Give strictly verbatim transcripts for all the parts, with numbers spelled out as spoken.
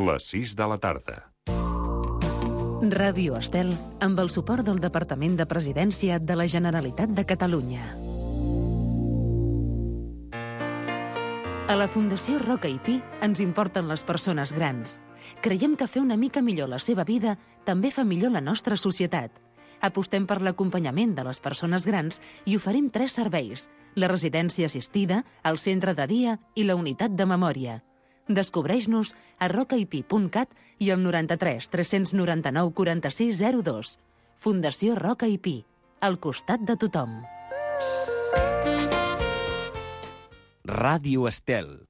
les sis de la tarda. Ràdio Estel, amb el suport del Departament de Presidència de la Generalitat de Catalunya. A la Fundació Roca i Pi ens importen les persones grans. Creiem que fer una mica millor la seva vida també fa millor la nostra societat. Apostem per l'acompanyament de les persones grans i oferim tres serveis: la residència assistida, el centre de dia i la unitat de memòria. Descobreix-nos a rocaipi punt cat i al noranta-tres tres noranta-nou quaranta-sis zero dos. Fundació Roca i Pi, al costat de tothom. Ràdio Estel.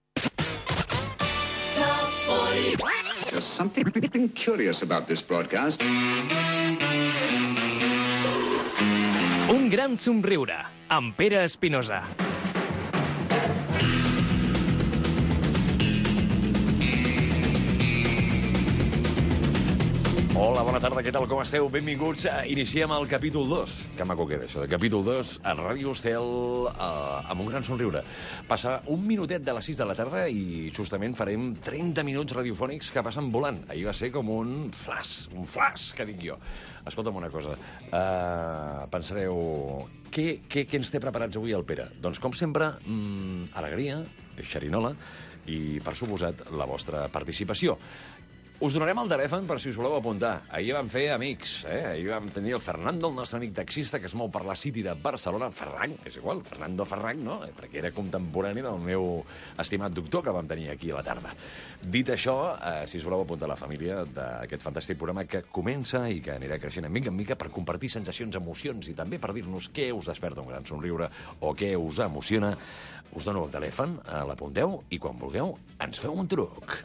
There's something curious about this broadcast. Un gran somriure, amb Pere Espinosa. Hola, bona tarda, què tal, com esteu? Benvinguts. Iniciem el capítol dos. Que maco queda això, de capítol dos a Ràdio Estel, eh, amb un gran somriure. Passa un minutet de les sis de la tarda i justament farem trenta minuts radiofònics que passen volant. Ahir va ser com un flash, un flash, que dic jo. Escolta'm una cosa, uh, pensareu, què, què, què ens té preparats avui el Pere? Doncs, com sempre, mmm, alegria, xerinola i, per suposat, la vostra participació. Us donarem el telèfon per si us voleu apuntar. Ahir vam fer amics, eh? Ahir vam tenir el Fernando, el nostre amic taxista, que es mou per la City de Barcelona. Ferran, és igual, Fernando Ferran, no? Perquè era contemporani del meu estimat doctor que vam tenir aquí a la tarda. Dit això, eh, si us voleu apuntar a la família d'aquest fantàstic programa que comença i que anirà creixent mica en mica per compartir sensacions, emocions i també per dir-nos què us desperta un gran somriure o què us emociona, us dono el telèfon, eh, l'apunteu i quan vulgueu ens feu un truc.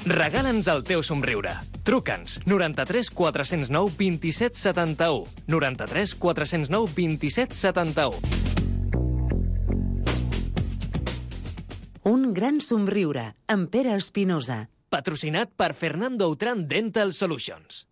Regala'ns el teu somriure. Truca'ns noranta-tres quatre zero nou vint-i-set setanta-u. noranta-tres quatre zero nou vint-i-set setanta-u. Un gran somriure, amb Pere Espinosa. Patrocinat per Fernando Autran Dental Solutions.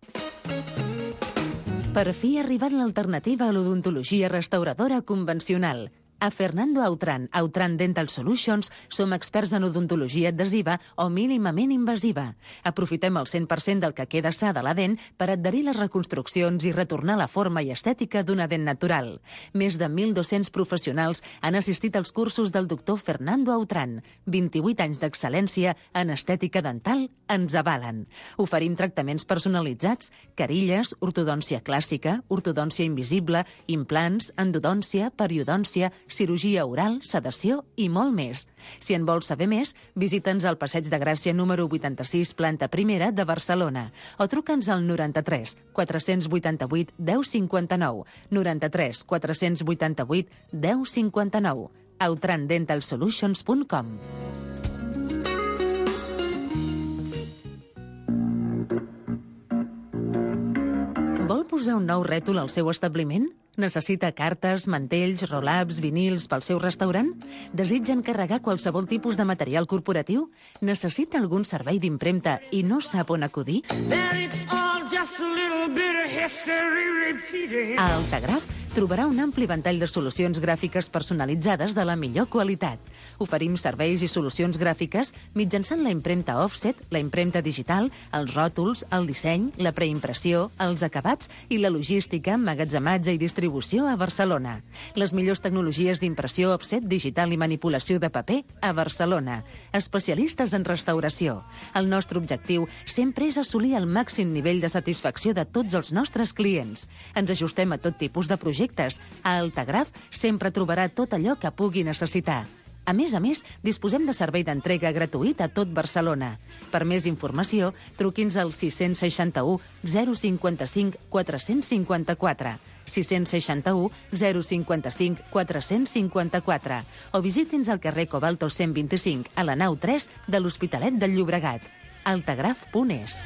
Per fi ha arribat l'alternativa a l'odontologia restauradora convencional. A Fernando Autran, Autran Dental Solutions, som experts en odontologia adhesiva o mínimament invasiva. Aprofitem el cent per cent del que queda sa de la dent per adherir les reconstruccions i retornar la forma i estètica d'una dent natural. Més de mil dos-cents professionals han assistit als cursos del doctor Fernando Autran. vint-i-vuit anys d'excel·lència en estètica dental ens avalen. Oferim tractaments personalitzats, carilles, ortodòncia clàssica, ortodòncia invisible, implants, endodòncia, periodòncia, cirurgia oral, sedació i molt més. Si en vols saber més, visita'ns al Passeig de Gràcia número vuitanta-sis, planta primera de Barcelona, o truca'ns al noranta-tres quatre vuitanta-vuit deu cinquanta-nou, noranta-tres quatre vuitanta-vuit deu cinquanta-nou, autran dental solutions punt com. Vol posar un nou rètol al seu establiment? Necessita cartes, mantells, roll-ups, vinils pel seu restaurant? Desitja encarregar qualsevol tipus de material corporatiu? Necessita algun servei d'impremta i no sap on acudir? A Altagraf trobarà un ampli ventall de solucions gràfiques personalitzades de la millor qualitat. Oferim serveis i solucions gràfiques mitjançant la impremta offset, la impremta digital, els ròtols, el disseny, la preimpressió, els acabats i la logística, emmagatzematge i distribució a Barcelona. Les millors tecnologies d'impressió offset, digital i manipulació de paper a Barcelona. Especialistes en restauració. El nostre objectiu sempre és assolir el màxim nivell de satisfacció de tots els nostres clients. Ens ajustem a tot tipus de projectes. A Altagraf sempre trobarà tot allò que pugui necessitar. A més a més, disposem de servei d'entrega gratuït a tot Barcelona. Per més informació, truqui'ns al sis sis u zero cinquanta-cinc quatre cinquanta-quatre, sis sis u zero cinquanta-cinc quatre cinquanta-quatre o visiti'ns al carrer Cobalto cent vint-i-cinc a la nau tres de l'Hospitalet del Llobregat. altagraf punt es.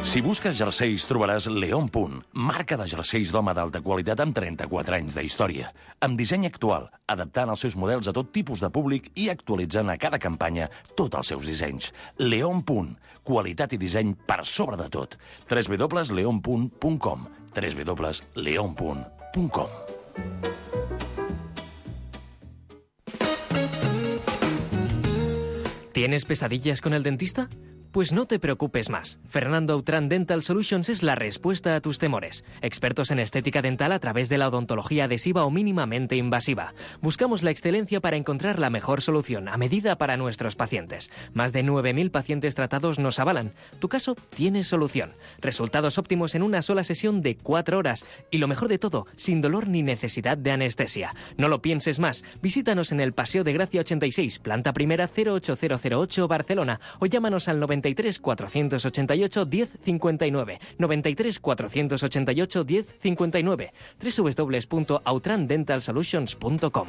Si busques jerseis, trobaràs León Punt, marca de jerseis d'home d'alta qualitat amb trenta-quatre anys d'història, amb disseny actual, adaptant els seus models a tot tipus de públic i actualitzant a cada campanya tots els seus dissenys. León Punt, qualitat i disseny per sobre de tot. w w w punt leon punt com w w w punt leon punt com. ¿Tienes pesadillas con el dentista? Pues no te preocupes más. Fernando Autran Dental Solutions es la respuesta a tus temores. Expertos en estética dental a través de la odontología adhesiva o mínimamente invasiva. Buscamos la excelencia para encontrar la mejor solución a medida para nuestros pacientes. Más de nueve mil pacientes tratados nos avalan. Tu caso tiene solución. Resultados óptimos en una sola sesión de cuatro horas. Y lo mejor de todo, sin dolor ni necesidad de anestesia. No lo pienses más. Visítanos en el Paseo de Gracia ochenta y seis, planta primera cero ocho cero cero ocho, Barcelona. O llámanos al noventa y tres, cuatrocientos ochenta y ocho, diez cincuenta y nueve, noventa y tres, cuatrocientos ochenta y ocho, diez cincuenta y nueve, doble u doble u doble u punto autran dental solutions punto com.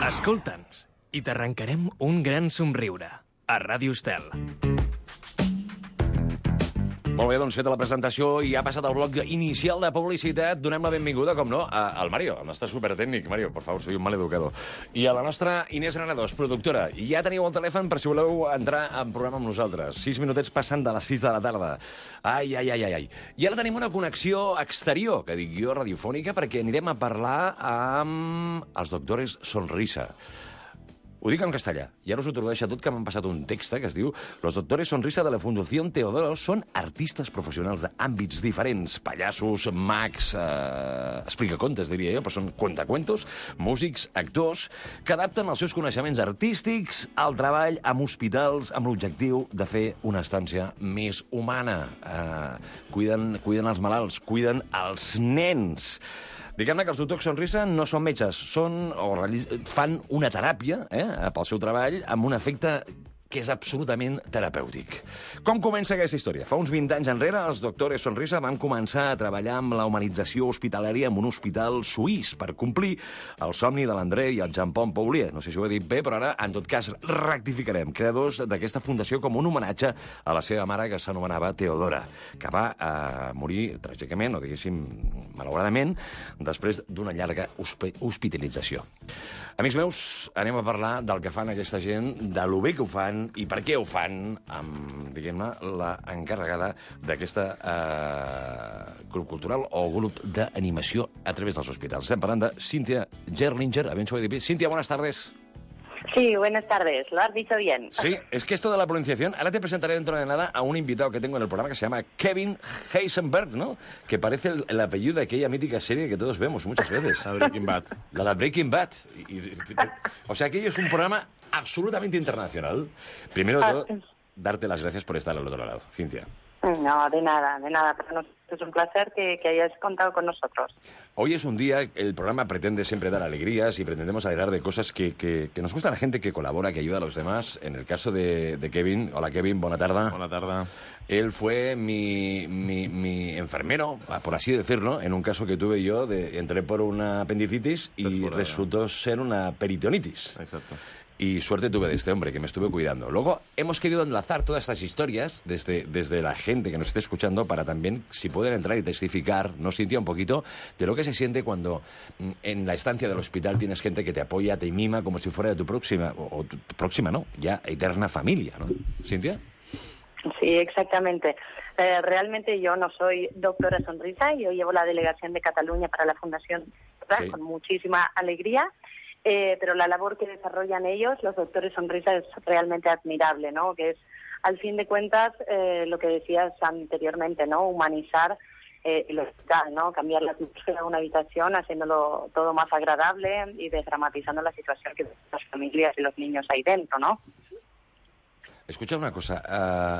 Escolta'ns i t'arrencarem un gran somriure. A Ràdio Estel. Molt bé, doncs feta la presentació i ha passat el bloc inicial de publicitat. Donem la benvinguda, com no, a, al Mario, el nostre supertècnic. Mario, por favor, soy un mal educador. I a la nostra Inés Granados, productora. Ja teniu el telèfon per si voleu entrar en programa amb nosaltres. Sis minutets passant de les sis de la tarda. Ai, ai, ai, ai, ai. I ara tenim una connexió exterior, que dic jo, radiofònica, perquè anirem a parlar amb els doctores Sonrisa. Ho dic en castellà, i ara us ho tradueixo tot, que m'han passat un text que es diu «Los doctores Sonrisa de la Fundación Teodoro són artistes professionals d'àmbits diferents, pallassos, mags, eh, explicacontes, diria jo, però són cuentacuentos, músics, actors, que adapten els seus coneixements artístics al treball amb hospitals amb l'objectiu de fer una estància més humana. Eh, cuiden, cuiden els malalts, cuiden els nens». Diguem-ne que els doctors Sonrisa no són metges, són, o fan una teràpia eh, pel seu treball amb un efecte que és absolutament terapèutic. Com comença aquesta història? Fa uns vint anys enrere, els doctors Sonrisa van començar a treballar amb la humanització hospitalària en un hospital suís per complir el somni de l'André i el Jean-Paul Paulier. No sé si ho he dit bé, però ara, en tot cas, rectificarem. Creadors d'aquesta fundació com un homenatge a la seva mare, que s'anomenava Teodora, que va eh, morir tràgicament, o diguéssim, malauradament, després d'una llarga hospitalització. Amics meus, anem a parlar del que fan aquesta gent, de lo bé que ho fan i per què ho fan amb, diguem-ne, la encarregada d'aquesta eh, grup cultural o grup d'animació a través dels hospitals. Estem parlant de Cynthia Gerlinger. A ver si ho he dit bé. Cynthia, buenas tardes. Sí, buenas tardes, lo has dicho bien. Sí, es que esto de la pronunciación, ahora te presentaré dentro de nada a un invitado que tengo en el programa que se llama Kevin Heisenberg, ¿no? Que parece el, el apellido de aquella mítica serie que todos vemos muchas veces. La Breaking Bad. La, la Breaking Bad. Y, y, o sea, aquello es un programa absolutamente internacional. Primero de todo, darte las gracias por estar al otro lado, Cynthia. No, de nada, de nada. Para nosotros es un placer que, que hayas contado con nosotros. Hoy es un día, el programa pretende siempre dar alegrías y pretendemos alegrar de cosas que, que, que nos gusta a la gente que colabora, que ayuda a los demás. En el caso de, de Kevin, hola Kevin, buena tarde. Buena tarde. Él fue mi, mi, mi enfermero, por así decirlo, en un caso que tuve yo, de, entré por una apendicitis y Perfurada. Resultó ser una peritonitis. Exacto. Y suerte tuve de este hombre que me estuve cuidando. Luego hemos querido enlazar todas estas historias desde, desde la gente que nos esté escuchando para también, si pueden entrar y testificar, nos sintió un poquito de lo que se siente cuando en la estancia del hospital tienes gente que te apoya, te mima como si fuera de tu próxima, o, o tu próxima, ¿no? Ya eterna familia, ¿no? ¿Cynthia? Sí, exactamente. Eh, realmente yo no soy doctora Sonrisa, yo llevo la delegación de Cataluña para la Fundación, ¿verdad? Sí. Con muchísima alegría. Eh, pero la labor que desarrollan ellos, los doctores Sonrisa, es realmente admirable, ¿no? Que es, al fin de cuentas, eh, lo que decías anteriormente, ¿no? Humanizar eh, el hospital, ¿no? Cambiar la atmósfera de una habitación, haciéndolo todo más agradable y desdramatizando la situación que las familias y los niños ahí dentro, ¿no? Escucha una cosa,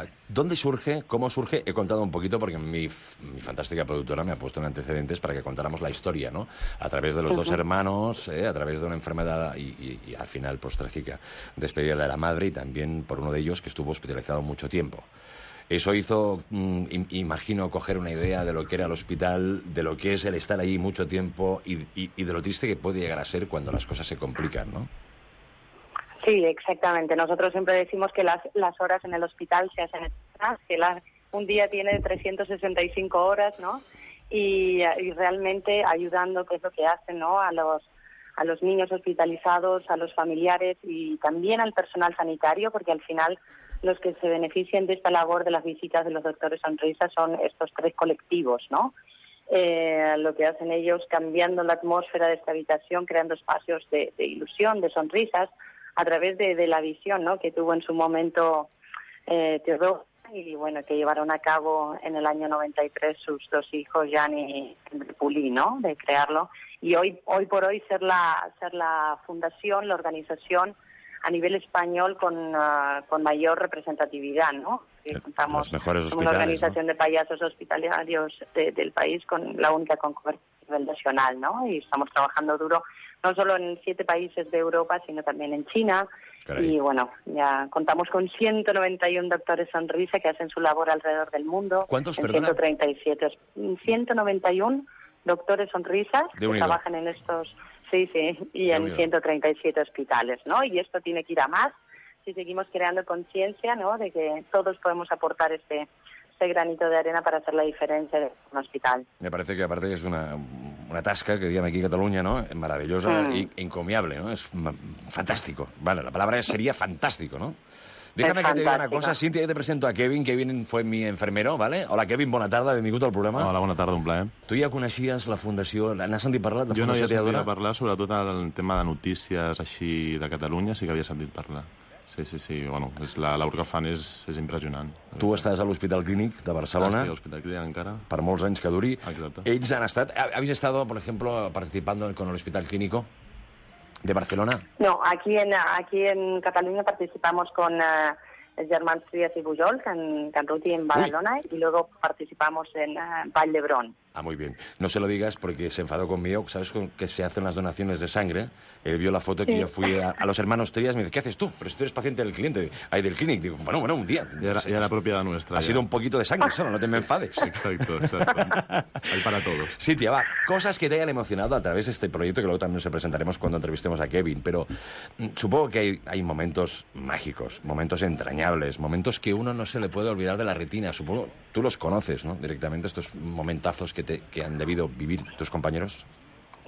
uh, ¿dónde surge, cómo surge? He contado un poquito porque mi, mi fantástica productora me ha puesto en antecedentes para que contáramos la historia, ¿no? A través de los uh-huh. dos hermanos, eh, a través de una enfermedad y, y, y al final, pues trágica, despedida de la madre y también por uno de ellos que estuvo hospitalizado mucho tiempo. Eso hizo, mm, imagino, coger una idea de lo que era el hospital, de lo que es el estar allí mucho tiempo y, y, y de lo triste que puede llegar a ser cuando las cosas se complican, ¿no? Sí, exactamente. Nosotros siempre decimos que las, las horas en el hospital se hacen eternas, que la, un día tiene trescientas sesenta y cinco horas, ¿no? Y, y realmente ayudando, que es lo que hacen, ¿no? A los, a los niños hospitalizados, a los familiares y también al personal sanitario, porque al final los que se benefician de esta labor de las visitas de los doctores sonrisas son estos tres colectivos, ¿no? Eh, lo que hacen ellos cambiando la atmósfera de esta habitación, creando espacios de, de ilusión, de sonrisas, a través de, de la visión, ¿no?, que tuvo en su momento eh, Teodoro, y bueno, que llevaron a cabo en el año noventa y tres sus dos hijos, Jan y Puli, ¿no?, de crearlo. Y hoy hoy por hoy ser la ser la fundación, la organización a nivel español con, uh, con mayor representatividad, ¿no? Que contamos los mejores con una organización, ¿no?, de payasos hospitalarios de, del país, con la única con cobertura a nivel nacional, ¿no? Y estamos trabajando duro no solo en siete países de Europa, sino también en China. Caray. Y bueno, ya contamos con ciento noventa y uno doctores sonrisa que hacen su labor alrededor del mundo. ¿Cuántos, en perdona? ciento treinta y siete, ciento noventa y uno doctores sonrisas que trabajan en estos, sí, sí, y de en unido. ciento treinta y siete hospitales, ¿no? Y esto tiene que ir a más si seguimos creando conciencia, ¿no?, de que todos podemos aportar este este granito de arena para hacer la diferencia de un hospital. Me parece que aparte es una, una tasca que digan aquí en Cataluña, ¿no?, maravillosa e mm. encomiable, ¿no? Es fantástico. Vale, la palabra sería fantástico, ¿no? Déjame es que te diga una cosa, Cíntia, yo te presento a Kevin. Kevin fue mi enfermero, ¿vale? Hola, Kevin, bona tarda, benvingut al programa. Hola, bona tarda, un plaer. Tu ja coneixies la Fundació... N'has sentit parlar de la jo Fundació Teodora? Jo no havia sentit parlar, sobretot el tema de notícies així de Catalunya, sí que havia sentit parlar. Sí, sí, sí, bueno, és la labor que fan és, és impressionant. Tu estàs a l'Hospital Clínic de Barcelona. Ah, estic a l'Hospital Clínic encara. Per molts anys que duri. Exacte. Ells han estat... ¿Habéis estado, por ejemplo, participando con el Hospital Clínico de Barcelona? No, aquí en, aquí en Cataluña participamos con... Uh, els germans Trias y Pujol, en Canruti en Badalona, Uy. y luego participamos en uh, Vall d'Hebron. Ah, muy bien. No se lo digas porque se enfadó conmigo. ¿Sabes con que se hacen las donaciones de sangre? Él vio la foto que sí. yo fui a, a los hermanos Trias y me dice, ¿qué haces tú? Pero si tú eres paciente del cliente, ahí del clinic. Digo, bueno, bueno, un día. Ya era, ya era propiedad nuestra. Ha ya. sido un poquito de sangre solo, no te sí. me enfades. Exacto, exacto. Hay para todos. Cintia, va, cosas que te hayan emocionado a través de este proyecto que luego también nos presentaremos cuando entrevistemos a Kevin, pero mm, supongo que hay, hay momentos mágicos, momentos entrañables, momentos que uno no se le puede olvidar de la retina. Supongo, tú los conoces, ¿no?, directamente, estos momentazos que, te, que han debido vivir tus compañeros.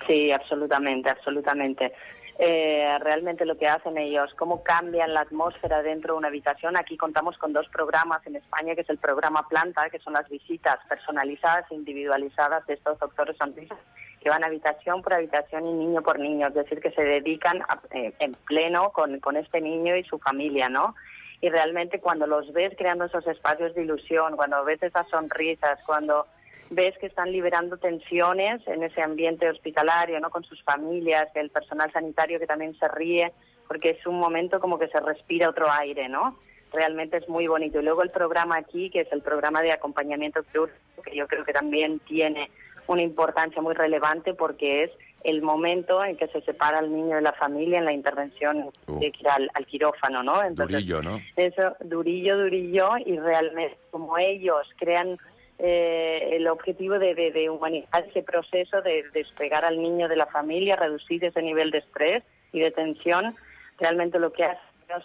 Sí, absolutamente, absolutamente. Eh, realmente lo que hacen ellos, cómo cambian la atmósfera dentro de una habitación. Aquí contamos con dos programas en España, que es el programa Planta, que son las visitas personalizadas e individualizadas de estos doctores sonrisas, que van habitación por habitación y niño por niño, es decir, que se dedican a, eh, en pleno con, con este niño y su familia, ¿no? Y realmente cuando los ves creando esos espacios de ilusión, cuando ves esas sonrisas, cuando ves que están liberando tensiones en ese ambiente hospitalario, ¿no?, con sus familias, el personal sanitario que también se ríe, porque es un momento como que se respira otro aire, ¿no? Realmente es muy bonito. Y luego el programa aquí, que es el programa de acompañamiento quirúrgico, que yo creo que también tiene una importancia muy relevante porque es el momento en que se separa al niño de la familia en la intervención uh. de ir al, al quirófano, ¿no? Entonces, durillo, ¿no? Eso, durillo, durillo, y realmente como ellos crean eh, el objetivo de, de, de humanizar ese proceso de despegar al niño de la familia, reducir ese nivel de estrés y de tensión, realmente lo que hacen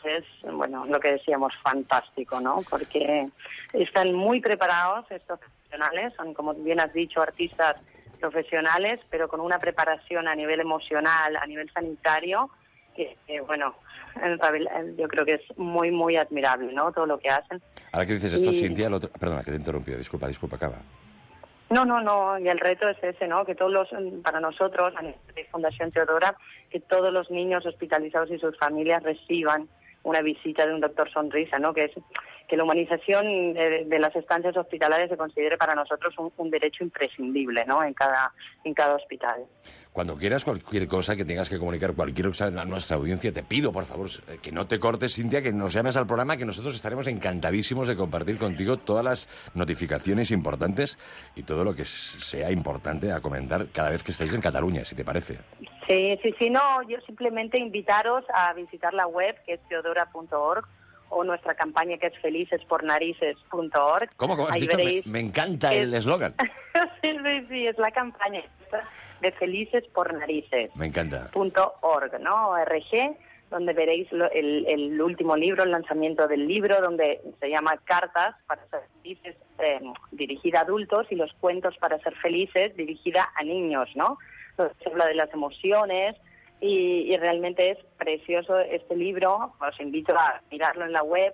es, bueno, lo que decíamos, fantástico, ¿no? Porque están muy preparados estos profesionales, son, como bien has dicho, artistas profesionales, pero con una preparación a nivel emocional, a nivel sanitario, que, que bueno, yo creo que es muy, muy admirable, ¿no?, todo lo que hacen. Ahora que dices esto, y... Cíntia, otro... perdona, que te he interrumpido, disculpa, disculpa, acaba. No, no, no, y el reto es ese, ¿no?, que todos los, para nosotros, a nivel de Fundación Teodora, que todos los niños hospitalizados y sus familias reciban una visita de un doctor sonrisa, ¿no?, que es que la humanización de, de las estancias hospitalarias se considere para nosotros un, un derecho imprescindible, ¿no?, en cada, en cada hospital. Cuando quieras cualquier cosa que tengas que comunicar, cualquier cosa a nuestra audiencia, te pido, por favor, que no te cortes, Cíntia, que nos llames al programa, que nosotros estaremos encantadísimos de compartir contigo todas las notificaciones importantes y todo lo que sea importante a comentar cada vez que estéis en Cataluña, si te parece. Sí, sí, sí, no, yo simplemente invitaros a visitar la web, que es teodora punto org, o nuestra campaña, que es felices por narices punto org. ¿Cómo? ¿Cómo has dicho? Me, me encanta el eslogan. Sí, sí, sí, es la campaña de Felices por Narices. Me encanta. Punto org, ¿no? O R G, donde veréis lo, el, el último libro, el lanzamiento del libro, donde se llama Cartas para ser felices, eh, dirigida a adultos, y Los cuentos para ser felices, dirigida a niños, ¿no? Entonces se habla de las emociones y, y realmente es precioso este libro. Os invito a mirarlo en la web.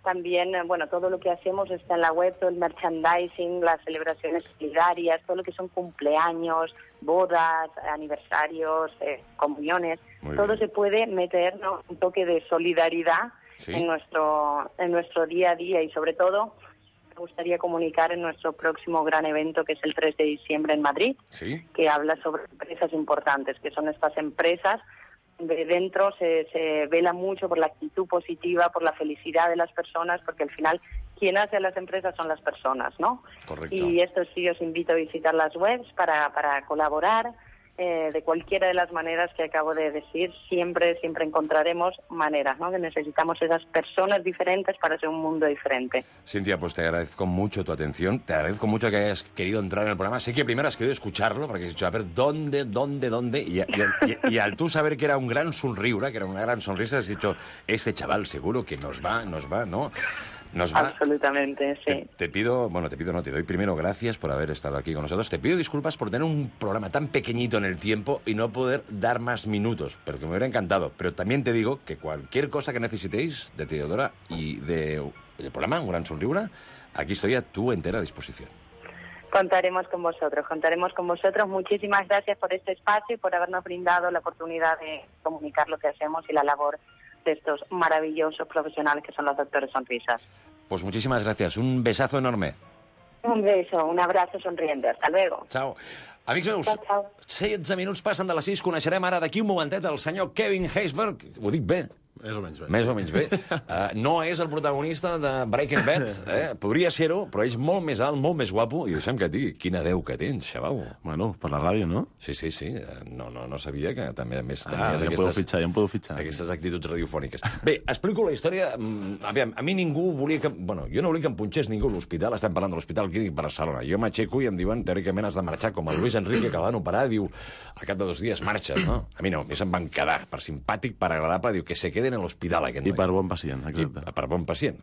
También, bueno, todo lo que hacemos está en la web, todo el merchandising, las celebraciones solidarias, todo lo que son cumpleaños, bodas, aniversarios, eh, comuniones. Muy todo bien. Se puede meter, ¿no?, un toque de solidaridad, ¿sí?, en nuestro en nuestro día a día, y sobre todo me gustaría comunicar en nuestro próximo gran evento, que es el tres de diciembre en Madrid, ¿sí?, que habla sobre empresas importantes, que son estas empresas de dentro se, se vela mucho por la actitud positiva, por la felicidad de las personas, porque al final quien hace a las empresas son las personas, ¿no? Correcto. Y esto sí, os invito a visitar las webs para, para colaborar eh, de cualquiera de las maneras que acabo de decir. Siempre, siempre encontraremos maneras, ¿no? Que necesitamos esas personas diferentes para hacer un mundo diferente. Cintia, pues te agradezco mucho tu atención, te agradezco mucho que hayas querido entrar en el programa. Sé que primero has querido escucharlo, porque has dicho, a ver, ¿dónde, dónde, dónde? Y, y, y, y al tú saber que era un gran sonriura, que era una gran sonrisa, has dicho, este chaval seguro que nos va, nos va, ¿no? Nos va. Absolutamente, sí. Te, te pido, bueno, te pido, no, te doy primero gracias por haber estado aquí con nosotros. Te pido disculpas por tener un programa tan pequeñito en el tiempo y no poder dar más minutos, pero que me hubiera encantado. Pero también te digo que cualquier cosa que necesitéis de Teodora y de, del programa, Un Gran Sonriura, aquí estoy a tu entera disposición. Contaremos con vosotros, contaremos con vosotros. Muchísimas gracias por este espacio y por habernos brindado la oportunidad de comunicar lo que hacemos y la labor de estos maravillosos profesionales que son los doctores sonrisas. Pues muchísimas gracias. Un besazo enorme. Un beso, un abrazo sonriente. Hasta luego. Chao. Amics meus, ciao, ciao. setze minuts passen de les sis. Coneixerem ara d'aquí un momentet el senyor Kevin Heisberg. Ho dic bé? Més o menys bé. Més o menys bé. Uh, no és el protagonista de Breaking Bad, eh? Podria ser-ho, però és molt més alt, molt més guapo, i deixa'm que et digui, quina veu que tens, xaval. Bueno, per la ràdio, no? Sí, sí, sí. No, no, no sabia que també, a més, tenies ah, ja aquestes... Podeu fitxar, ja em podeu fitxar. Aquestes actituds radiofòniques. Bé, explico la història. Aviam, a mi ningú volia que... Bueno, jo no volia que em punxés ningú a l'hospital. Estem parlant de l'Hospital Clínic Barcelona. Jo m'aixeco i em diuen, teòricament, has de marxar, com el Luis Enrique, que van operar, diu, al cap de dos dies marxes, no? A mi no, a mi se'm van quedar, per simpàtic, per agradable, diu, que se queden en l'hospital, aquest. I per bon pacient, exacte. I per bon pacient.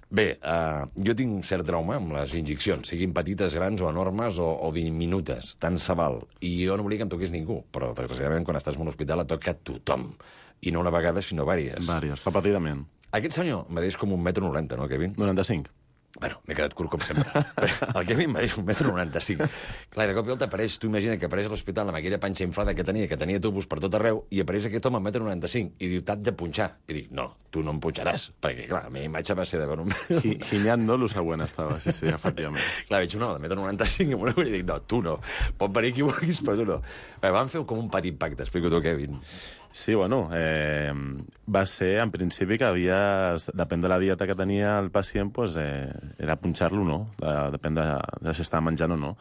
Bé, uh, jo tinc un cert trauma amb les injeccions, siguin petites, grans o enormes o, o diminutes, tant se val. I jo no volia que em toqués ningú, però desgraciadament quan estàs en un hospital et toca a tothom. I no una vegada, sinó vàries. Vàries, repetidament. Aquest senyor m'ha dit com un metro noranta, no, Kevin? noranta-cinc. Bueno, m'he quedat curt com sempre. El Kevin m'ha dit un metro noranta-cinc. Clar, de cop i volta apareix, tu imagina que apareix a l'hospital amb aquella panxa inflada que tenia, que tenia tubos per tot arreu, i apareix aquest home a un metro noranta-cinc, i diu, t'haig de punxar. I dic, no, tu no em punxaràs, perquè, clar, la meva imatge va ser de veure un... Ginyant, no? Lo següent estava, sí, sí, efectivament. Clar, veig un home de metro noranta-cinc amb una ull i dic, no, tu no, pot venir qui vulguis, però tu no. Bé, vam fer com un petit pacte, explico tu, Kevin. Sí, bueno, eh, va ser, en principi, que havia... Depèn de la dieta que tenia el pacient, pues, eh, era punxar-lo o no, de, depèn de, de si estava menjant o no.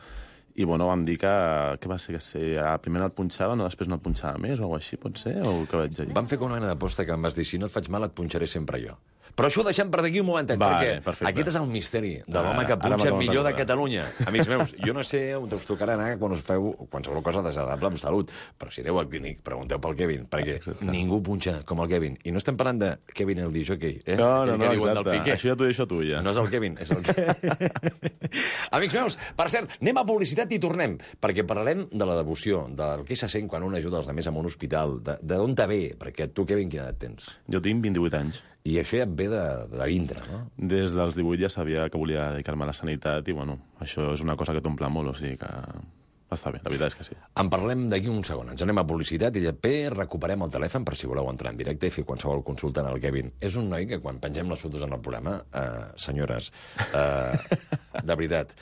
I, bueno, vam dir que, que va ser que si primer no et punxava, no, després no et punxava més, o alguna així, pot ser, o què vaig dir? Vam fer com una mena d'aposta que em vas dir, si no et faig mal et punxaré sempre jo. Però això ho deixem per d'aquí un momentet, vale, perquè perfecte. Aquest és el misteri de l'home que punxa millor de Catalunya. Amics meus, jo no sé on us tocarà anar quan us feu qualsevol cosa desagradable amb salut, però si aneu al clínic, pregunteu pel Kevin, perquè exacte. Ningú punxa com el Kevin. I no estem parlant de Kevin el disjockey, eh? No, no, no, exacte. Això ja t'ho deixo tu, ja. No és el Kevin, és el Kevin. Amics meus, per cert, anem a publicitat i tornem, perquè parlarem de la devoció, del que se sent quan un ajuda els altres en un hospital, d'on te ve, perquè tu, Kevin, quina edat tens? Jo tinc vint-i-vuit anys. I això ja et ve de, de dintre, no? Des dels divuit ja sabia que volia dedicar-me a la sanitat i, bueno, això és una cosa que t'omple molt, o sigui que està bé, la veritat és que sí. En parlem d'aquí un segon. Ens anem a publicitat i després recuperem el telèfon per si voleu entrar en directe i fer qualsevol consulta en el Kevin. És un noi que quan pengem les fotos en el programa, eh, senyores, eh, de veritat,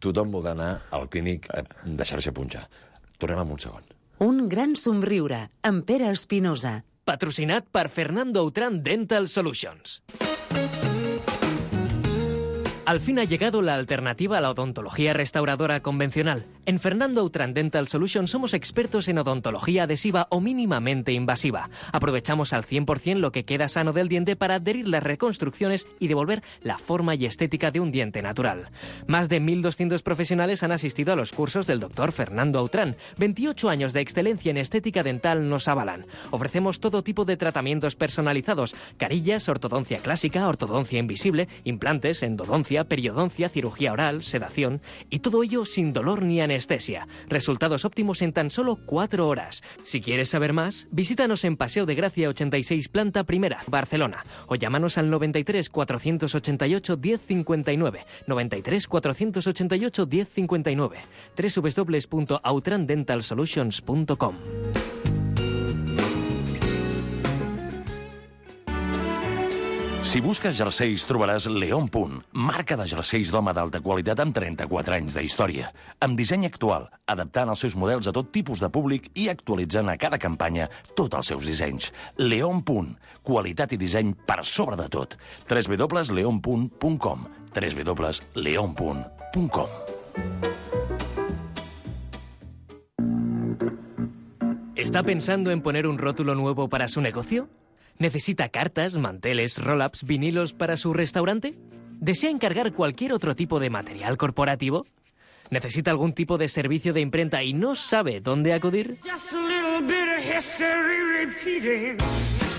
tothom voldrà anar al clínic a deixar-se punxar. Tornem en un segon. Un gran somriure, amb Pere Espinosa. Patrocinat per Fernando Outram Dental Solutions. Al fin ha llegado la alternativa a la odontología restauradora convencional. En Fernando Outram Dental Solutions somos expertos en odontología adhesiva o mínimamente invasiva. Aprovechamos al cien por cien lo que queda sano del diente para adherir las reconstrucciones y devolver la forma y estética de un diente natural. Más de mil doscientos profesionales han asistido a los cursos del doctor Fernando Outram. veintiocho años de excelencia en estética dental nos avalan. Ofrecemos todo tipo de tratamientos personalizados: carillas, ortodoncia clásica, ortodoncia invisible, implantes, endodoncia, periodoncia, cirugía oral, sedación, y todo ello sin dolor ni anestesia. Resultados óptimos en tan solo cuatro horas. Si quieres saber más, visítanos en Paseo de Gracia ochenta y seis, planta primera, Barcelona, o llámanos al noventa y tres, cuatrocientos ochenta y ocho, diez cincuenta y nueve, noventa y tres, cuatrocientos ochenta y ocho, diez cincuenta y nueve, doble u doble u doble u punto outram dental solutions punto com. Si busques jerseis, trobaràs León Punt, marca de jerseis d'home d'alta qualitat amb trenta-quatre anys d'història, amb disseny actual, adaptant els seus models a tot tipus de públic i actualitzant a cada campanya tots els seus dissenys. León Punt, qualitat i disseny per sobre de tot. w w w punt leon punt com w w w punt leon punt com. ¿Está pensando en poner un rótulo nuevo para su negocio? ¿Necesita cartas, manteles, roll-ups, vinilos para su restaurante? ¿Desea encargar cualquier otro tipo de material corporativo? ¿Necesita algún tipo de servicio de imprenta y no sabe dónde acudir?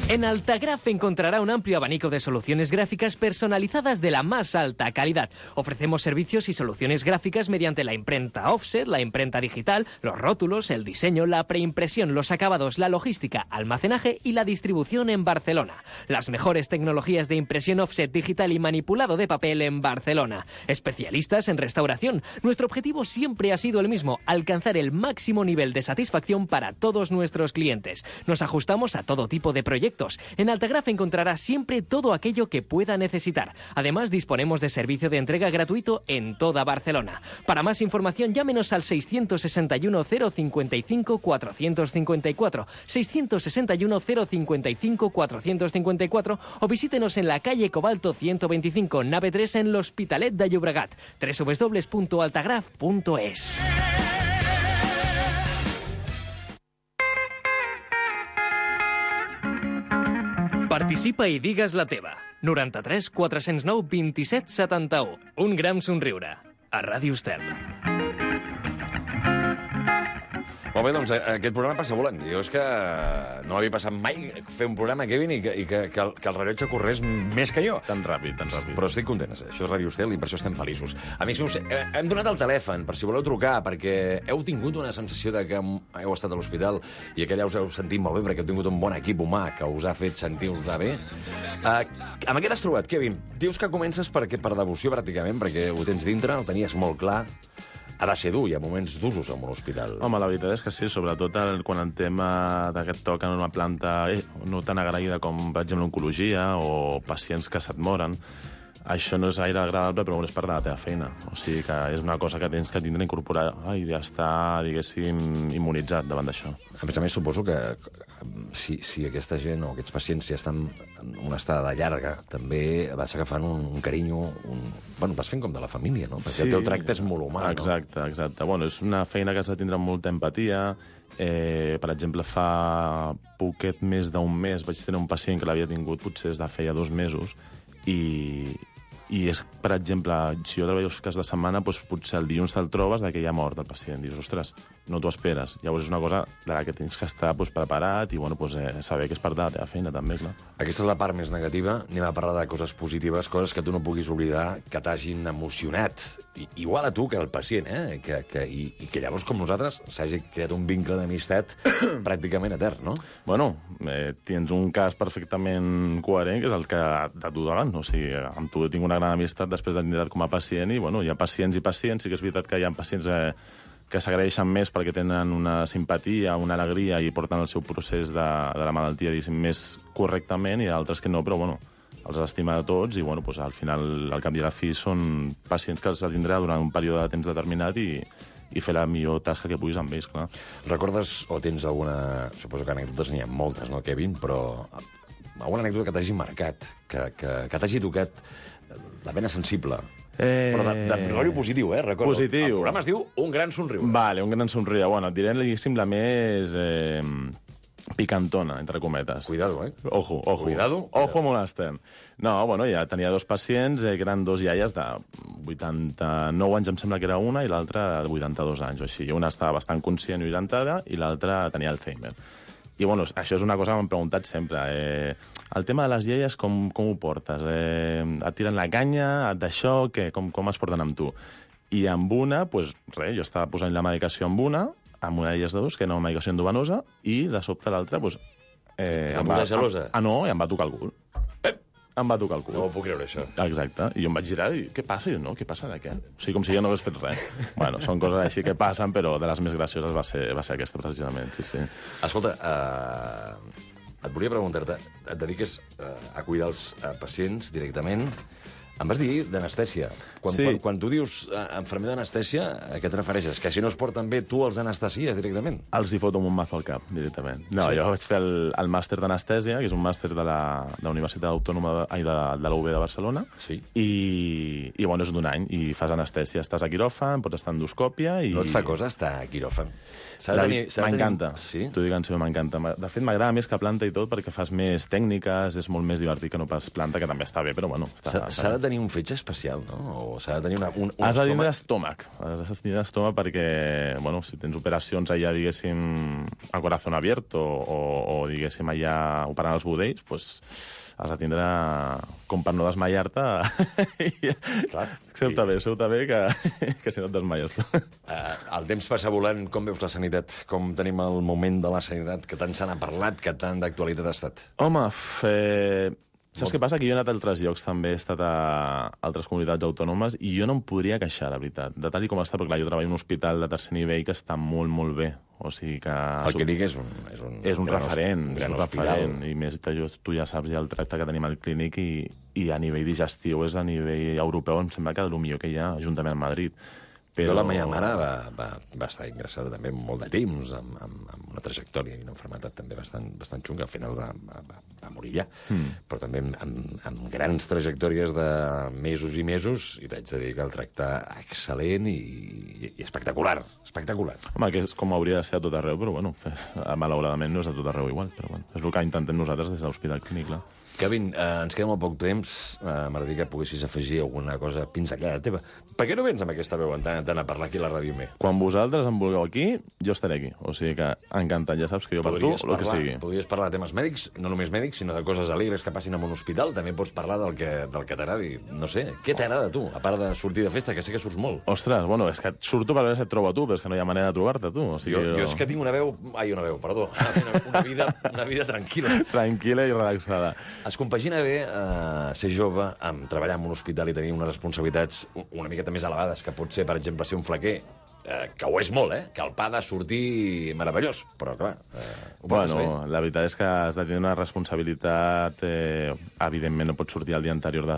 En Altagraph encontrará un amplio abanico de soluciones gráficas personalizadas de la más alta calidad. Ofrecemos servicios y soluciones gráficas mediante la imprenta offset, la imprenta digital, los rótulos, el diseño, la preimpresión, los acabados, la logística, almacenaje y la distribución en Barcelona. Las mejores tecnologías de impresión offset digital y manipulado de papel en Barcelona. Especialistas en restauración. Nuestro objetivo siempre ha sido el mismo: alcanzar el máximo nivel de satisfacción para todos nuestros clientes. Nos ajustamos a todo tipo de proyectos. En Altagraph encontrará siempre todo aquello que pueda necesitar. Además, disponemos de servicio de entrega gratuito en toda Barcelona. Para más información, llámenos al seiscientos sesenta y uno, cero cincuenta y cinco, cuatrocientos cincuenta y cuatro, seiscientos sesenta y uno, cero cincuenta y cinco, cuatrocientos cincuenta y cuatro, o visítenos en la calle Cobalto ciento veinticinco, nave tres, en l'Hospitalet de Llobregat. w w w punto altagraph punto es. Participa i digues la teva. noranta-tres, quatre-cents nou, vint-i-set, setanta-u. Un gran somriure. A Ràdio Estel. Molt bé, doncs aquest programa passa volant. Jo és que no havia passat mai fer un programa, Kevin, i que, i que, que, el, que el rellotge corrés més que jo. Tan ràpid, tan ràpid. Però estic content. Això és Ràdio Estel i per això estem feliços. Amics meus, hem donat el telèfon per si voleu trucar, perquè heu tingut una sensació de que heu estat a l'hospital i que allà us heu sentit molt bé, perquè heu tingut un bon equip humà que us ha fet sentir-vos bé. Uh, amb què t'has trobat, Kevin? Dius que comences perquè, per devoció, pràcticament, perquè ho tens dintre, ho tenies molt clar. Ha de ser dur, hi ha moments d'usos en un hospital. Home, la veritat és que sí, sobretot el, quan el tema d'aquest toc en una planta eh, no tan agraïda com, per exemple, l'oncologia o pacients que se't moren, això no és gaire agradable, però és part de la teva feina. O sigui que és una cosa que tens que tindre incorporar i ja estar, diguéssim, immunitzat davant d'això. A més a més, suposo que si, si aquesta gent o aquests pacients ja estan en una estada llarga, també vas agafant un, un carinyo, un... Bueno, vas fent com de la família, no? Perquè sí, el teu tracte és molt humà, exacte, no? Exacte, exacte. Bueno, és una feina que has de tindre molta empatia. Eh, per exemple, fa poquet més d'un mes vaig tenir un pacient que l'havia tingut potser des de feia dos mesos i... I és, per exemple, si jo treballo els cas de setmana, doncs potser el dilluns te'l trobes que ja ha mort el pacient. Dius, ostres, no t'ho esperes. Llavors és una cosa de la que tens que estar doncs, preparat i bueno, doncs, eh, saber que és part de la teva feina, també, clar. Aquesta és la part més negativa. Anem a parlar de coses positives, coses que tu no puguis oblidar, que t'hagin emocionat. I, igual a tu que al pacient, eh? Que, que, i, I que llavors, com nosaltres, s'hagi creat un vincle d'amistat pràcticament etern, no? Bueno, eh, tens un cas perfectament coherent, que és el que de tu davant. O sigui, amb tu tinc una gran amistat després de tindre com a pacient i, bueno, hi ha pacients i pacients. Sí que és veritat que hi ha pacients eh, que s'agraeixen més perquè tenen una simpatia, una alegria i porten el seu procés de, de la malaltia, diguéssim, més correctament, i altres que no, però, bueno, els estima a tots i, bueno, doncs, al final, al cap i a la fi, són pacients que els tindrà durant un període de temps determinat i, i fer la millor tasca que puguis amb ells, clar. Recordes o tens alguna... Suposo que anècdotes n'hi ha moltes, no, Kevin? Però alguna anècdota que t'hagi marcat, que, que, que t'hagi tocat la vena sensible, Eh... Però de, de rotllo positiu, eh? Recordo. Positiu. El programa es diu Un gran somriure. Vale, Un gran somriure. Bueno, et diré, diguéssim, la més eh, picantona, entre cometes. Cuidado, eh? Ojo, ojo. Cuidado. Ojo, molt estem. No, bueno, ja tenia dos pacients, eh, que eren dos iaies de vuitanta-nou anys, em sembla que era una, i l'altra de vuitanta-dos anys o així. Una estava bastant conscient i orientada, i l'altra tenia Alzheimer. I, bueno, això és una cosa que m'han preguntat sempre. Eh, el tema de les iaies, com, com ho portes? Eh, et tiren la canya, et d'això, què? Com, com es porten amb tu? I amb una, doncs, res, jo estava posant la medicació amb una, amb una d'elles de dos, que era una medicació endovenosa, i de sobte l'altra, doncs... Eh, em va, gelosa? Ah, no, i em va tocar el cul. Eh! Em va tocar el cul. No ho puc creure, això. Exacte. I jo em vaig girar i què passa? I jo, no, què passa de què? O sigui, com si jo no hagués fet res. Bueno, són coses així que passen, però de les més gracioses va ser, va ser aquesta, precisament, sí, sí. Escolta, uh, et volia preguntar-te, et dediques uh, a cuidar els uh, pacients directament. Em vas dir d'anestèsia. Quan, Sí. quan, quan tu dius uh, enfermer d'anestèsia, a què et refereixes? Que si no es porten bé, tu els anestesies directament? Els hi foto amb un mazo al cap, directament. No, Sí. sí. Jo vaig fer el, el màster d'anestèsia, que és un màster de la, de la Universitat Autònoma de, ai, de, de la U B de Barcelona, Sí. i, i bueno, és d'un any, i fas anestèsia. Estàs a quiròfan, pots estar endoscòpia... I... No et fa cosa estar a quiròfan? S'ha de La- tenir- s'ha de tenir- M'encanta. Sí? T'ho dic en sèrio, m'encanta. De fet, m'agrada més que planta i tot, perquè fas més tècniques, és molt més divertit que no pas planta, que també està bé, però bueno... Està, S'ha s'ha de tenir un fetge especial, no? O s'ha de tenir una, un, un Has de tindre estómac? estómac. Has de tindre estómac perquè, bueno, si tens operacions allà, diguéssim, a corazón abierto o, o diguéssim, allà operant els budells, pues, has de tindre, com per no desmaiar-te... Clar. Seu-te bé, seu-te bé, que, que si no et desmaies tu. Uh, el temps passa volant. Com veus la sanitat? Com tenim el moment de la sanitat? Que tant se n'ha parlat, que tant d'actualitat ha estat? Home, f- eh, saps què passa? Que jo he anat a altres llocs, també he estat a altres comunitats autònomes, i jo no em podria queixar, la veritat, de tal i com està, perquè clar, jo treballo en un hospital de tercer nivell que està molt, molt bé. O sigui que... El que dic és un... És un, és un gran referent, un és gran un hospital. referent, i més tu, tu ja saps ja el tracte que tenim al clínic, i, i a nivell digestiu és a nivell europeu, em sembla que el millor que hi ha, juntament amb Madrid. Però... la meva mare va, va, va estar ingressada també molt de temps, amb, amb, amb una trajectòria i una malaltia també bastant, bastant xunga. Al final va, va, va morir ja, mm. però també amb, amb, amb grans trajectòries de mesos i mesos, i t'haig de dir que el tracte excel·lent i, i, i espectacular, espectacular. Home, que és com hauria de ser a tot arreu, però bueno, malauradament no és a tot arreu igual, però bueno, és el que intentem nosaltres des de l'Hospital Clínic, clar. Kevin, eh, ens queda molt poc temps. Eh, M'agradaria que poguessis afegir alguna cosa pinzellada teva. Per què no vens amb aquesta veu tant, tant a parlar aquí a la ràdio me? Quan vosaltres em vulgueu aquí, jo estaré aquí. O sigui que encantat, ja saps que jo per tu, el que sigui. Podries parlar de temes mèdics, no només mèdics, sinó de coses alegres que passin en un hospital. També pots parlar del que, del que t'agradi. No sé, què t'agrada a tu, a part de sortir de festa, que sé que surts molt? Ostres, bueno, és que surto per veure si et trobo a tu, però és que no hi ha manera de trobar-te, tu. O sigui, jo, jo és que tinc una veu... Ai, una veu, perdó. Una, una, vida, una vida tranquil·la. Tranquil·la i relaxada. Es compagina bé eh, ser jove, amb treballar en un hospital i tenir unes responsabilitats una miqueta més elevades, que pot ser, per exemple, ser un flequer, eh, que ho és molt, eh? Que el pa ha de sortir meravellós, però, clar, eh, ho bueno, bé. la veritat és que has de tenir una responsabilitat... Eh, evidentment, no pots sortir el dia anterior de,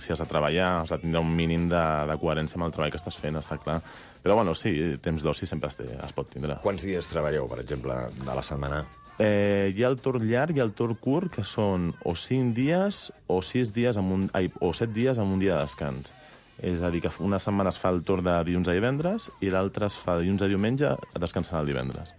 si has de treballar, has de tindre un mínim de, de coherència amb el treball que estàs fent, està clar. Però, bueno, sí, temps d'oci sempre es, té, es pot tindre. Quants dies treballeu, per exemple, de la setmana? Eh, hi ha el torn llarg i el torn curt, que són o cinc dies o sis dies amb un, ai, o set dies amb un dia de descans. És a dir, que una setmana es fa el torn de dilluns a divendres i l'altra es fa dilluns a diumenge, descansant el divendres.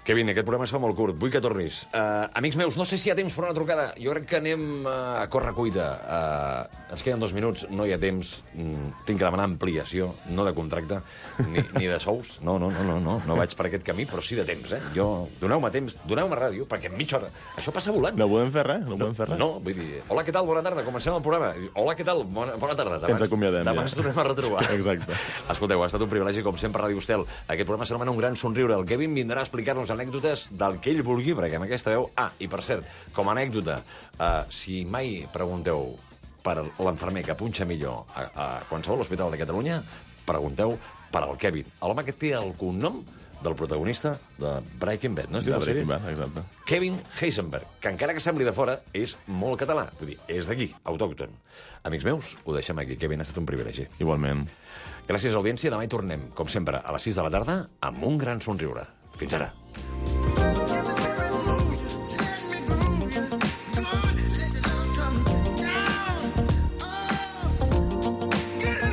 Kevin, aquest programa es fa molt curt, vull que tornis. Uh, amics meus, no sé si hi ha temps per una trucada. Jo crec que anem uh, a córrer cuita. Uh, ens queden dos minuts, no hi ha temps. Mm, tinc que demanar ampliació, no de contracte, ni, ni de sous. No, no, no, no, no, no vaig per aquest camí, però sí de temps, eh? Jo, doneu-me temps, doneu-me ràdio, perquè en mitja hora... Això passa volant. No podem fer res, no, no podem fer res. No, vull dir, hola, què tal? Bona tarda, comencem el programa. Hola, què tal? Bona, bona tarda. Demà, Ens acomiadem, demà ja. ens tornem a retrobar. Exacte. Escolteu, ha estat un privilegi, com sempre, a Ràdio Estel. Aquest programa s'anomena Un gran somriure. El Kevin vindrà a explicar-nos anècdotes del que ell vulgui, perquè amb aquesta veu... Ah, i per cert, com a anècdota, uh, si mai pregunteu per l'enfermer que punxa millor a, a qualsevol hospital de Catalunya, pregunteu per al Kevin, l'home que té el cognom del protagonista de Breaking Bad, no es diu De la sèrie? Breaking Bad, exacte. Kevin Heisenberg, que encara que sembli de fora, és molt català. Vull dir, és d'aquí, autòcton. Amics meus, ho deixem aquí. Kevin, ha estat un privilegi. Igualment. Gràcies, audiència. Demà hi tornem, com sempre, a les sis de la tarda, amb un gran somriure. Fins ara. Get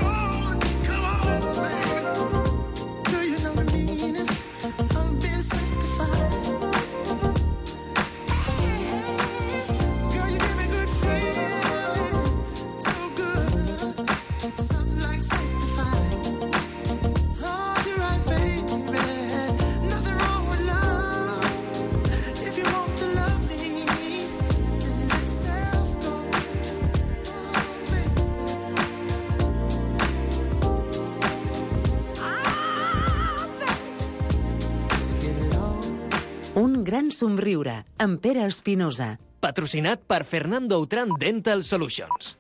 gran somriure, amb Pere Espinosa. Patrocinat per Fernando Outram Dental Solutions.